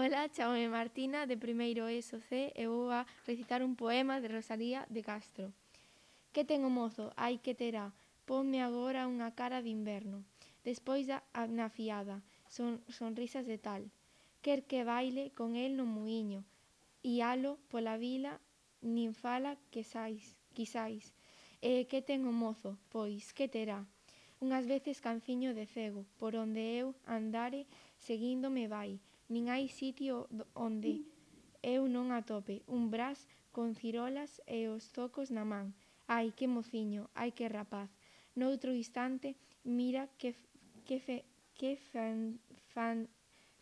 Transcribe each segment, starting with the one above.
Ola, chamome Martina, de primeiro ESO C, e vou a recitar un poema de Rosalía de Castro. Que ten o mozo? Ai, que terá? Ponme agora unha cara de inverno. Despois na fiada, sonrisas de tal. Quer que baile con el no muiño, ialo pola vila, nin fala quisais. E que ten o mozo? Pois, que terá? Unhas veces canciño de cego, por onde eu andare, seguíndome vai. Nin hai sitio onde eu non atope un bras con cirolas e os zocos na man. Ai, que mociño, ai, que rapaz. Noutro instante, mira que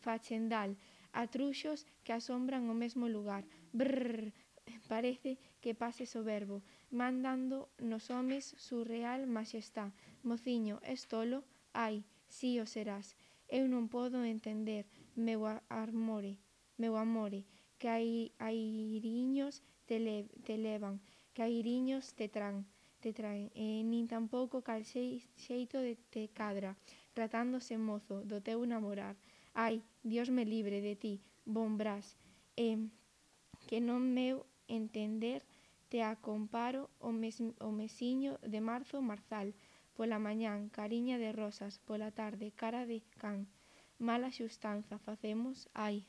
fachendal, atruxos que asombran o mesmo lugar. Brrr, parece que pase soberbo, mandando nos homes surreal maxestá. Mociño, es tolo? Ai, si o serás. Eu non podo entender, meu amore, que airiños te levan, que airiños te traen, nin tampouco cal xeito te cadra, tratándose mozo do teu namorar. Ai, Dios me libre de ti, bon bras, que non meu entender te acomparo o mesiño de marzo marzal, pola mañán cariña de rosas, pola tarde cara de can. Mala xustanza facemos, ai.